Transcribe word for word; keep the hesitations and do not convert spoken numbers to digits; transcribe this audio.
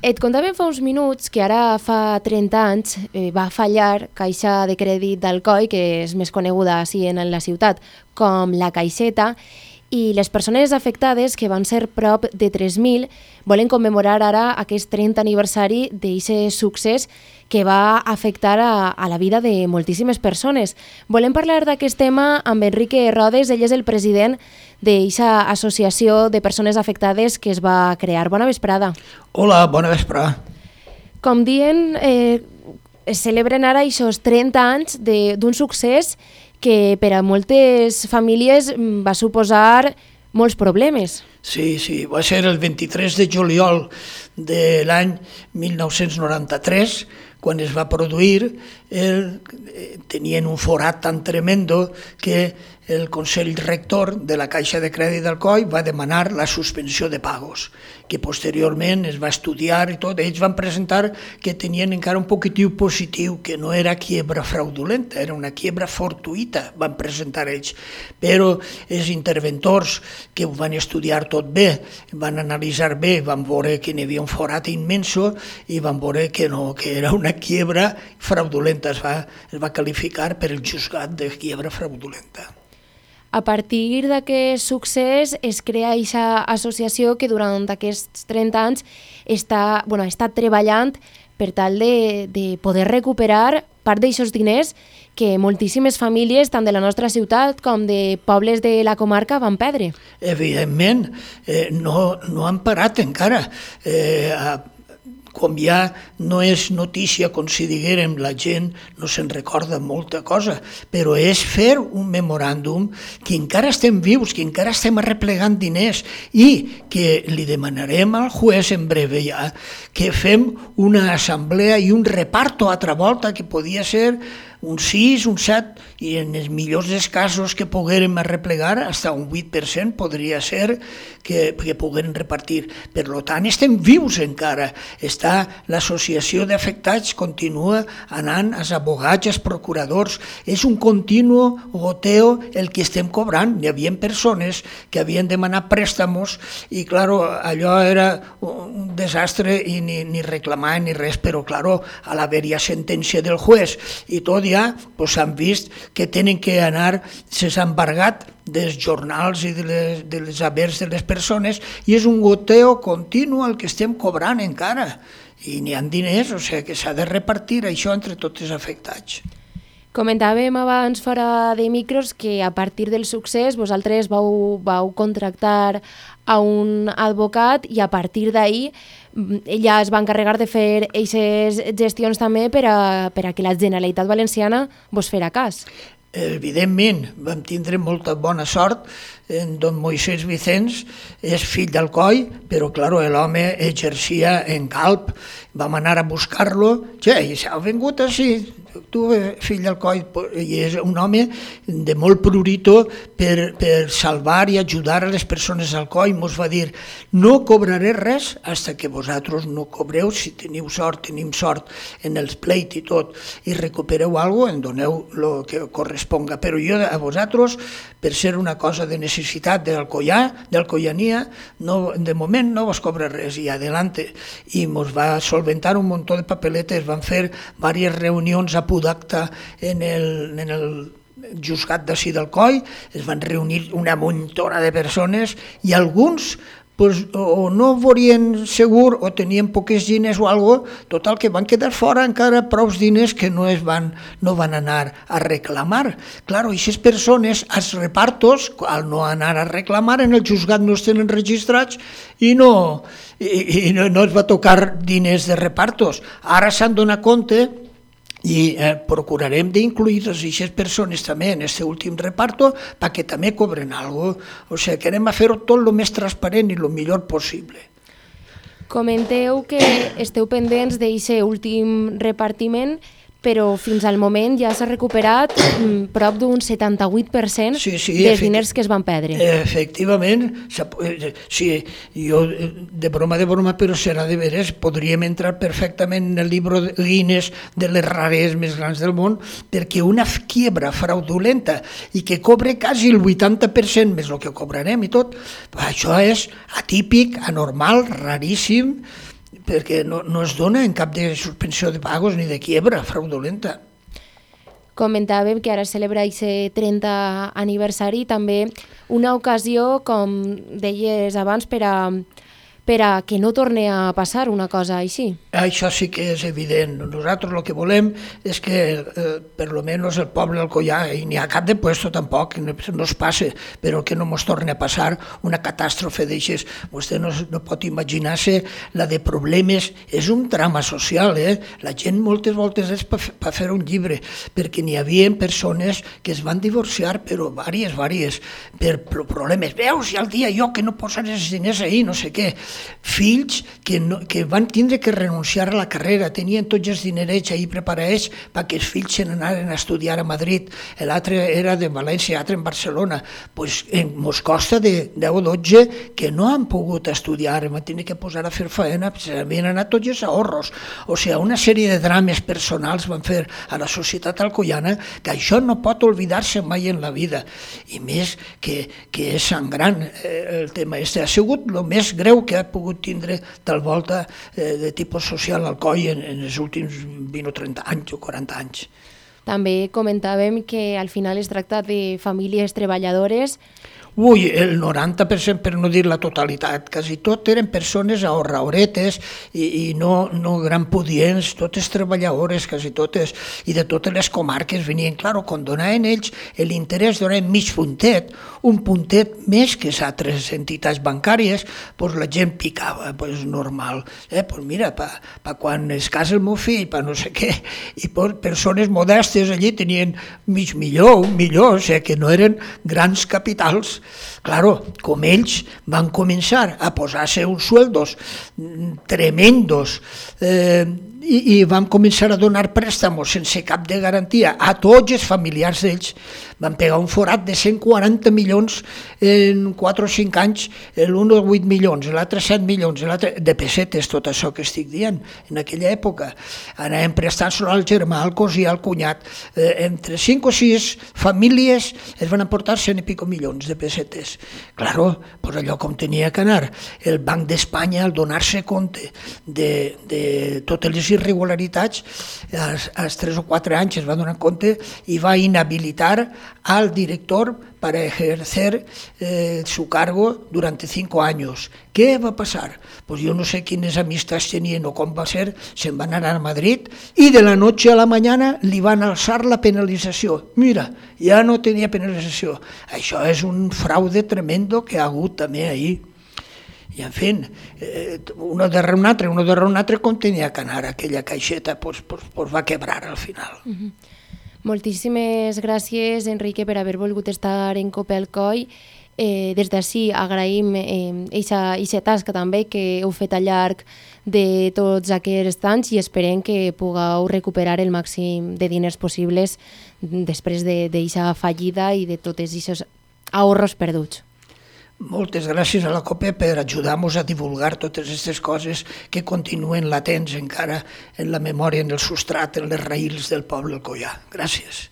Et contàvem fa uns minuts que ara fa trenta anys eh, va fallar Caixa de Crèdit d'Alcoi, que és més coneguda així en la ciutat com la Caixeta, i les persones afectades, que van ser prop de tres mil, volen commemorar ara aquest trenta aniversari d'aquest succés que va afectar a, a la vida de moltíssimes persones. Volem parlar d'aquest tema amb Enrique Rodes, ell és el president d'aquesta associació de persones afectades que es va crear. Bona vesprada. Hola, bona vesprada. Com dient, eh, es celebren ara aquests trenta anys d'un succés que per a moltes famílies va suposar molts problemes. Sí, sí, va ser el vint-i-tres de juliol de l'any mil nou-cents noranta-tres, quan es va produir, el, tenien un forat tan tremendo que el Consell Rector de la Caixa de Crèdit d'Alcoi va demanar la suspensió de pagos, que posteriorment es va estudiar i tot. Ells van presentar que tenien encara un poquitiu positiu, que no era quiebra fraudulenta, era una quiebra fortuïta, van presentar ells. Però els interventors que ho van estudiar tot bé, van analitzar bé, van veure que n'hi havia un forat immenso i van veure que no, que era una quiebra fraudulenta, es va, es va qualificar per el juzgat de quiebra fraudulenta. A partir d'aquest succés es crea aquesta associació que durant aquests trenta anys està, bueno, ha estat treballant per tal de, de poder recuperar part d'aixòs diners que moltíssimes famílies, tant de la nostra ciutat com de pobles de la comarca, van perdre. Evidentment, eh, no, no han parat encara. Eh, a com ja no és notícia, com si diguérem, la gent no se'n recorda molta cosa, però és fer un memoràndum que encara estem vius, que encara estem arreplegant diners i que li demanarem al juez en breve ja que fem una assemblea i un reparto a altra volta, que podia ser un sis, un set, i en els millors dels casos que poguérem arreplegar, fins un vuit per cent podria ser que, que poguérem repartir. Per tant, estem vius encara. Està l'associació d'afectats, continua anant als abogats, als procuradors. És un continu goteo el que estem cobrant. Hi havia persones que havien demanat préstamos i, claro, allò era un desastre i ni, ni reclamar ni res, però, claro, a l'haver-hi sentència del juez i tot, ja pues, han vist que tenen que anar, s'ha embargat dels jornals i de les, de les habers de les persones, i és un goteo continu el que estem cobrant encara, i n'hi ha diners, o sigui que s'ha de repartir això entre tots els afectats. Comentàvem abans fora de micros que a partir del succés vosaltres vau, vau contractar a un advocat i a partir d'ahir ella es va encarregar de fer aquestes gestions també per a, per a que la Generalitat Valenciana vos fera cas. Evidentment, vam tindre molta bona sort. En don Moisés Vicens és fill d'Alcoi, però clar, l'home exercia en Calp. Vam anar a buscar-lo, ja, i s'ha vingut així, tu, fill d'Alcoi, i és un home de molt prurito per, per salvar i ajudar a les persones d'Alcoi. Ens va dir, no cobraré res fins que vosaltres no cobreu, si teniu sort, tenim sort en els pleit i tot, i recupereu alguna cosa, en doneu el que corresponga, però jo a vosaltres, per ser una cosa de necessitat d'Alcoià, d'Alcoiania, no, de moment no vos cobra res, i adelante. I ens va solventar un munt de papeletes, van fer diverses reunions a Pudacta en el, en el juzgat d'ací d'Alcoi, es van reunir una muntona de persones i alguns pues, o no volien segur o tenien poques diners o algo, total que van quedar fora encara prou diners que no es van, no van anar a reclamar. Claro, aquestes persones, als repartos, al no anar a reclamar, en el juzgat no es tenen registrats i no, i, i no, no es va tocar diners de repartos. Ara s'han donat compte i eh, procurarem d'incluir aquestes persones també en aquest últim reparto perquè també cobren alguna cosa. O sigui que anem a fer-ho tot el més transparent i el millor possible. Comenteu que esteu pendents d'aquest últim repartiment, però fins al moment ja s'ha recuperat prop d'un setanta-vuit per cent sí, sí, dels diners que es van perdre. Efectivament, sí, jo de broma de broma, però serà de veres, podríem entrar perfectament en el llibre Guinness de les rares més grans del món, perquè una quiebra fraudulenta i que cobre quasi el vuitanta per cent més el que cobrarem i tot, això és atípic, anormal, raríssim, perquè no, no es dona en cap de suspensió de pagos ni de quiebra fraudulenta. Comentàvem que ara celebra aquest trenta aniversari, també una ocasió, com deies abans, per a, per a que no torni a passar una cosa així. Això sí que és evident. Nosaltres el que volem és que, eh, per lo menos el poble d'Alcoià, i n'hi ha cap de puesto tampoc, no, no es passe, però que no ens torni a passar una catàstrofe d'aixes. Vostè no, no pot imaginar-se la de problemes. És un drama social, eh? La gent moltes voltes és per pa fer un llibre, perquè n'hi havia persones que es van divorciar, però vàries, vàries, per problemes. Veus, i al dia jo que no posaré els diners ahir, no sé què. Fills que, no, que van tindre que renunciar a la carrera, tenien tots els dinerets ahir preparats perquè els fills se n'anaren a estudiar a Madrid, l'altre era de València, l'altre en Barcelona. Pues ens costa de deu o dotze que no han pogut estudiar, van tenir que posar a fer feina, s'havien anat tots els ahorros. O sigui, una sèrie de drames personals van fer a la societat alcoiana que això no pot oblidar-se mai en la vida. I més que, que és sangrant eh, el tema este. Ha sigut el més greu que ha pogut tindre tal volta eh, de tipus social al Alcoi en, en els últims vint o trenta anys o quaranta anys. També comentàvem que al final es tracta de famílies treballadores. Ui, el noranta per cent, per no dir la totalitat, quasi tot eren persones ahorraoretes i, i no, no gran pudients, totes treballadores, quasi totes, i de totes les comarques venien. Claro, quan donaven ells l'interès, donaven mig puntet, un puntet més que les altres entitats bancàries, doncs la gent picava, doncs normal. Eh? Pues mira, pa, pa quan es casa el meu fill, pa no sé què, i pues, persones modestes allí tenien mig milió, un milió, o sigui que no eren grans capitals. Claro, com ells van començar a posar-se uns sueldos tremendos eh, i, i van començar a donar préstamos sense cap de garantia a tots els familiars d'ells, van pegar un forat de cent quaranta milions en quatre o cinc anys, l'un o vuit milions, l'altre set milions, l'altre de pessetes, tot això que estic dient, en aquella època. Anàvem prestant-se al germà, al cosí, al cunyat, eh, entre cinc o sis famílies es van aportar cent i pico milions de pessetes. Claro, pues allò com tenia que anar. El Banc d'Espanya, al donar-se compte de, de totes les irregularitats, als, als tres o quatre anys es va donar compte i va inhabilitar al director para ejercer eh, su cargo durante cinco años. ¿Qué va a pasar? Pues yo no sé quiénes amistats tenien o com va ser, se'n van anar a Madrid i de la noche a la mañana li van alçar la penalització. Mira, ja no tenia penalització. Això és un fraude tremendo que ha hagut també ahir. I, en fi, eh, uno darrere un altre, uno darrere un altre, com tenia que anar aquella caixeta, pues, pues, pues va quebrar al final. Uh-huh. Moltíssimes gràcies, Enrique, per haver volgut estar en Cope Alcoi. Eh, des d'ací agraïm aquesta eh, tasca també que heu fet al llarg de tots aquests anys i esperem que pugueu recuperar el màxim de diners possibles després d'aquesta fallida i de tots aquests ahorros perduts. Moltes gràcies a la COPE per ajudar-nos a divulgar totes aquestes coses que continuen latents encara en la memòria, en el substrat, en les raïls del poble alcoià. Gràcies.